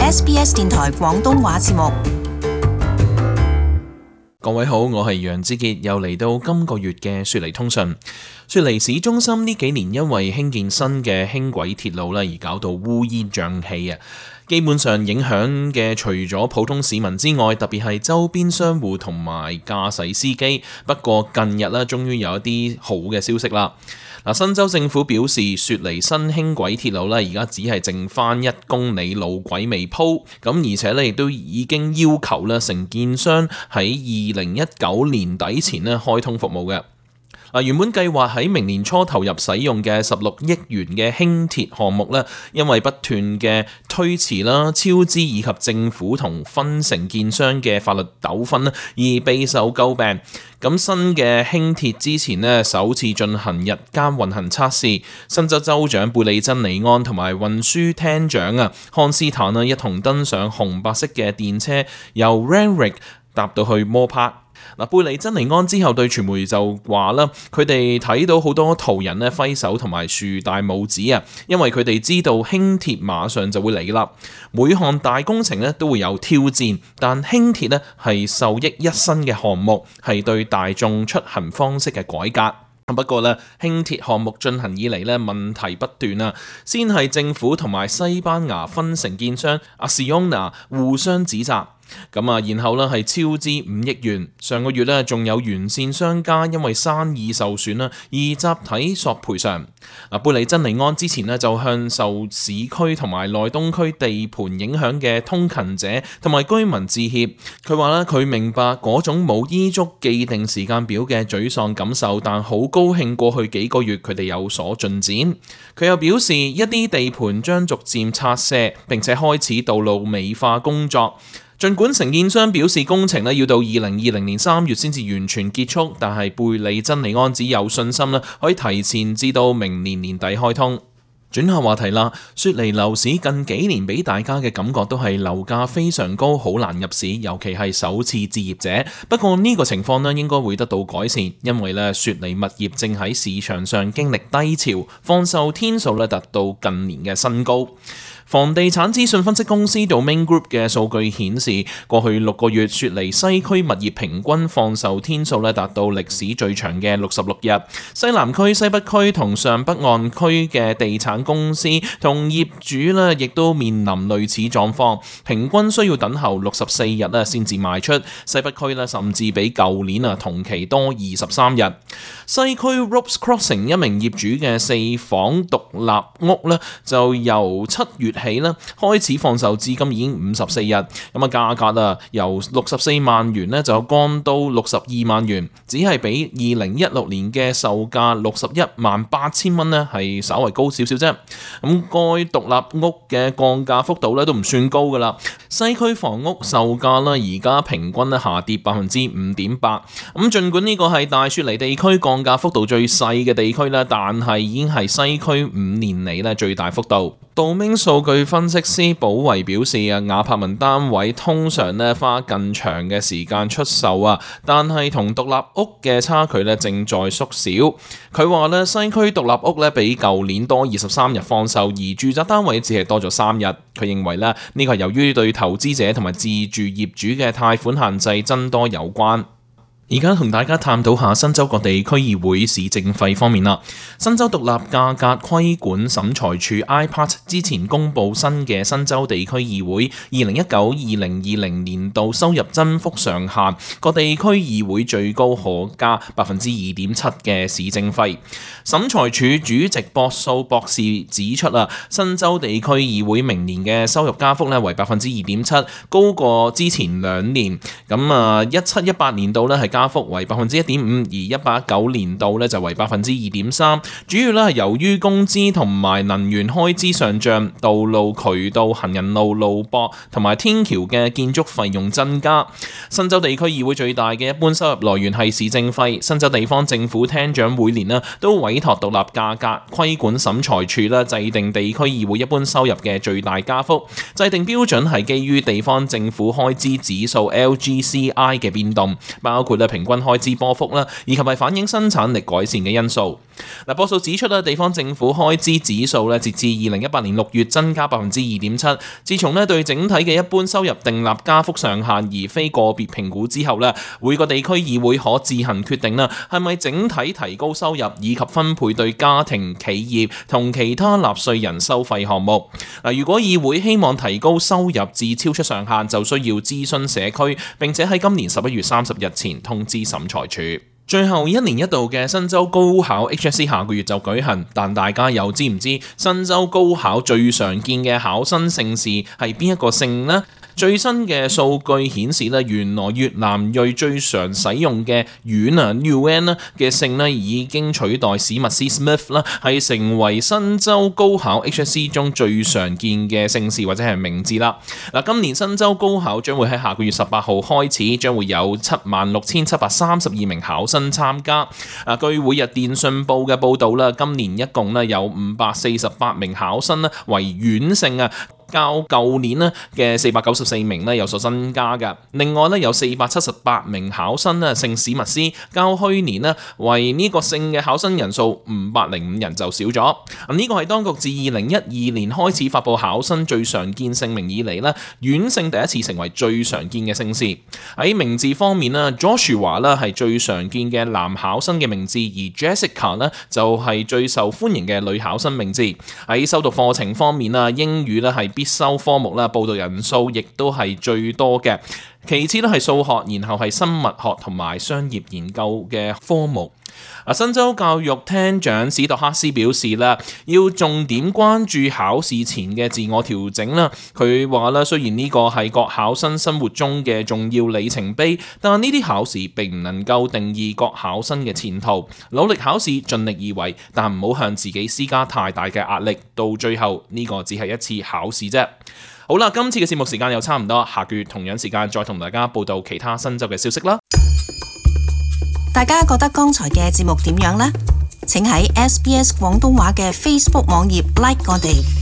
SBS 電台廣東話節目。各位好，我係楊之傑，又嚟到今個月嘅雪梨通訊。雪梨市中心呢幾年因為興建新嘅輕軌鐵路而搞到烏煙瘴氣啊！基本上影響嘅除咗普通市民之外，特別係周邊商戶同埋駕駛司機。不過近日終於有一啲好嘅消息啦。新州政府表示，雪梨新輕軌鐵路而家只係剩翻1公里路軌未鋪，咁而且亦都已經要求承建商喺2019年底前開通服務嘅。原本計劃喺明年初投入使用嘅16億元嘅輕鐵項目因為不斷嘅推遲超支以及政府同分承建商嘅法律糾紛而備受詬病。咁新嘅輕鐵之前首次進行日間運行測試，新州州長貝利珍尼安同埋運輸廳長康斯坦一同登上紅白色嘅電車，由 Randwick 搭到去摩帕。貝利珍尼安之後對傳媒就話佢哋睇到好多途人揮手同埋豎大拇指因為佢哋知道輕鐵馬上就會嚟啦。每項大工程都會有挑戰，但輕鐵係受益一身嘅項目，係對大眾出行方式嘅改革。不過輕鐵項目進行以嚟問題不斷先係政府同埋西班牙分承建商Acciona互相指責。然後係超支5億元。上個月仲有沿線商家因為生意受損而集體索賠償。貝利珍尼安之前就向受市區同埋內東區地盤影響嘅通勤者同埋居民致歉。佢話佢明白嗰種冇依足既定時間表嘅沮喪感受，但好高興過去幾個月佢哋有所進展。佢又表示一啲地盤將逐漸拆卸，並且開始道路美化工作。儘管承建商表示工程要到2020年3月先至完全結束，但係貝利珍尼安只有信心可以提前至到明年年底開通。轉下話題啦，雪梨樓市近幾年俾大家嘅感覺都係樓價非常高，好難入市，尤其係首次置業者。不過呢個情況應該會得到改善，因為雪梨物業正喺市場上經歷低潮，放售天數達到近年嘅新高。房地產資訊分析公司 Domain Group 嘅數據顯示，過去6個月雪梨西區物業平均放售天數達到歷史最長嘅66日。西南區、西北區同上北岸區嘅地產公司同業主亦都面臨類似狀況，平均需要等候64日先至賣出。西北區甚至比舊年同期多23日。西區 Ropes Crossing 一名業主嘅4房獨立屋就由7月起開始放售至今已經54日，價格由64萬元就降到62萬元，只係比2016年嘅售價61萬8千蚊係稍為高少少啫。該獨立屋嘅降價幅度都唔算高噶啦。西區房屋售價而家平均下跌 5.8%。儘管呢個係大雪梨地區降價幅度最細嘅地區但係已經係西區5年嚟最大幅度。道明數據分析師保維表示亞柏文單位通常花更長嘅時間出售但係同獨立屋嘅差距正在縮小。佢話西區獨立屋比舊年多23日放售，而住宅單位只係多咗3日。佢認為呢個係由於對投資者同埋自住業主嘅貸款限制增多有關。而家同大家探討下新州各地區議會市政費方面啦。新州獨立價格規管審裁處 IPAT 之前公布新嘅新州地區議會2019-2020年度收入增幅上限，各地區議會最高可加 2.7% 嘅市政費。審裁處主席博素博士指出新州地區議會明年嘅收入加幅為 2.7%， 高過之前2年。17-18年度係加幅為 1.5%， 而18-19年度就為 2.3%， 主要係由於工資同埋能源開支上漲，道路、渠道、行人路、路駁同埋天橋嘅建築費用增加。新州地區議會最大嘅一般收入來源係市政費。新州地方政府廳長每年都委託獨立價格規管審裁處制定地區議會一般收入嘅最大加幅。制定標準係基於地方政府開支指數 LGCI 嘅變動，包括平均開支波幅以及係反映生產力改善嘅因素。嗱，波數指出啦，地方政府開支指數咧，截至2018年6月增加2.7%。自從咧對整體嘅一般收入訂立加幅上限，而非個別評估之後咧，每個地區議會可自行決定啦，係咪整體提高收入以及分配對家庭、企業同其他納稅人收費項目。嗱，如果議會希望提高收入至超出上限，就需要諮詢社區，並且喺今年11月30日前通知審裁處。最後1年1度嘅新州高考 HSC 下個月就舉行，但大家又知唔知新州高考最常見嘅考生姓氏係邊一個姓呢？最新嘅數據顯示咧，原來越南裔最常使用嘅Nguyen嘅姓咧，已經取代史密斯 Smith 啦，係成為新州高考 HSC 中最常見嘅姓氏或者係名字啦。嗱，今年新州高考將會喺下個月18號開始，將會有76,732名考生參加。據每日電訊報嘅報導啦，今年一共咧有548名考生咧為阮姓啊，較舊年咧嘅494名咧有所增加嘅。另外咧有478名考生咧姓史密斯，較去年咧為呢個姓嘅考生人數505人就少咗。呢個係當局自2012年開始發佈考生最常見姓名以嚟咧，阮姓第一次成為最常見嘅姓氏。喺名字方面咧 ，Joshua 咧係最常見嘅男考生嘅名字，而 Jessica 咧就係最受歡迎嘅女考生名字。喺修讀課程方面啊，英語咧係必修科目啦，報讀人數亦都係最多嘅。其次咧係數學，然後係生物學同埋商業研究嘅科目。新州教育廳長史托克斯表示啦，要重點關注考試前嘅自我調整啦。佢話啦，雖然呢個係各考生生活中嘅重要里程碑，但呢啲考試並唔能夠定義各考生嘅前途。努力考試，盡力而為，但唔好向自己施加太大嘅壓力。到最後呢個只係一次考試啫。好啦，今次嘅節目時間又差唔多，下個月同樣時間再同大家報道其他新州嘅消息啦。大家覺得剛才嘅節目點樣呢？請喺SBS 廣東話嘅 Facebook 網頁 like 我哋。